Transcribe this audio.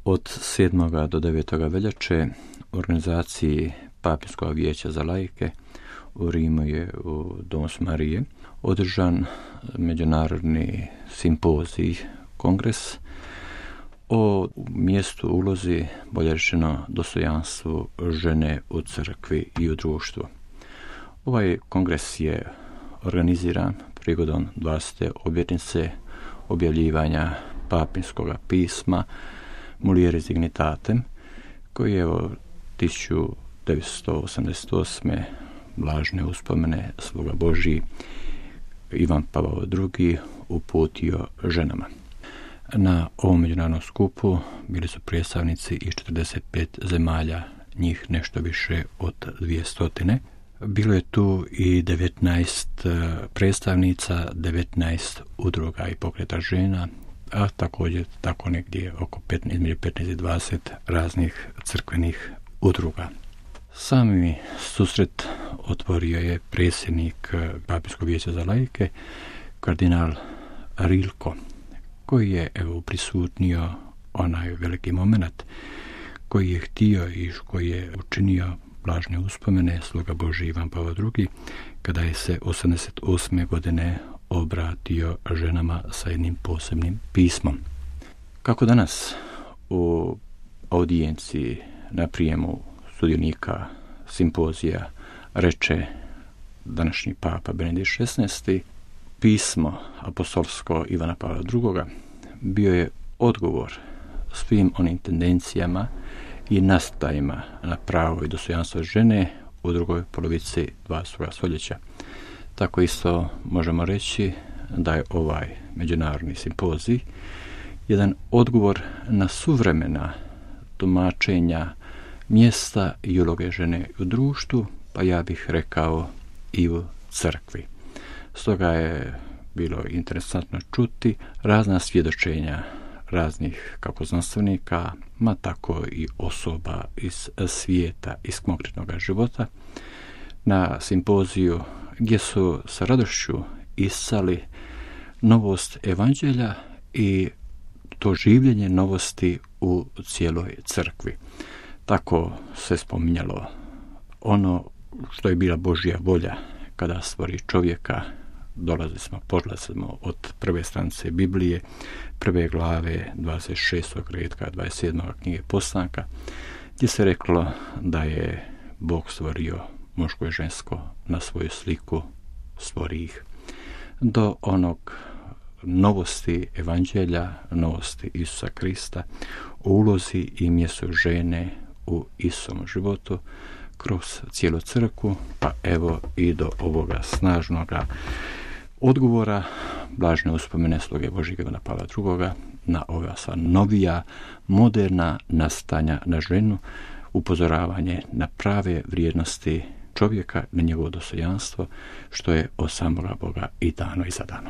Od 7. do 9. veljače u organizaciji Papinskog vijeća za laike u Rimu je u Domus Marije održan međunarodni simpozij, kongres o mjestu, ulozi, bolje rečeno dostojanstvu žene u crkvi i u društvu. Ovaj kongres je organiziran prigodom 20. obljetnice objavljivanja Papinskog pisma Mulieris Dignitatem, koji je 1988. blažene uspomene Sluga Božji Ivan Pavao II. Uputio ženama. Na ovom međunarodnom skupu bili su predstavnici iz 45 zemalja, njih nešto više od 200. Bilo je tu i 19 predstavnica, 19 udruga i pokreta žena, a također tako negdje oko između 15 i 20 raznih crkvenih udruga. Sami susret otvorio je predsjednik Papinskog vijeća za laike, kardinal Rilko, koji je prisutnio onaj veliki moment koji je htio i koji je učinio blažne uspomene Sluga Božji Ivan Pavao II. Kada je se 88. godine obratio ženama sa jednim posebnim pismom. Kako danas u audijenciji na prijemu sudionika simpozija reče današnji papa Benedikt XVI, pismo apostolsko Ivana Pavla II. Bio je odgovor svim onim tendencijama i nastajima na pravo i dostojanstvo žene u drugoj polovici 20. stoljeća. Tako isto možemo reći da je ovaj međunarodni simpozij jedan odgovor na suvremena tumačenja mjesta i uloge žene u društvu, pa ja bih rekao i u crkvi. Stoga je bilo interesantno čuti razna svjedočenja raznih kako znanstvenika, ma tako i osoba iz svijeta, iz konkretnog života, na simpoziju gdje su sa radošću iscali novost evanđelja i to življenje novosti u cijeloj crkvi. Tako se spominjalo ono što je bila Božja volja kada stvori čovjeka. Polazimo od prve stranice Biblije, prve glave 26. redka 27. knjige Postanka, gdje se reklo da je Bog stvorio muško i žensko na svoju sliku, stvori ih. Do onog novosti evanđelja, novosti Isusa Krista, o ulozi i mjestu žene u Isusovom životu kroz cijelu crkvu, pa evo i do ovoga snažnoga odgovora blažne uspomene Sluge Božjeg Ivana Pavla II. Na ova sva novija, moderna nastanja na ženu, upozoravanje na prave vrijednosti čovjeka, na njegovo dostojanstvo, što je od samoga Boga i dano i zadano.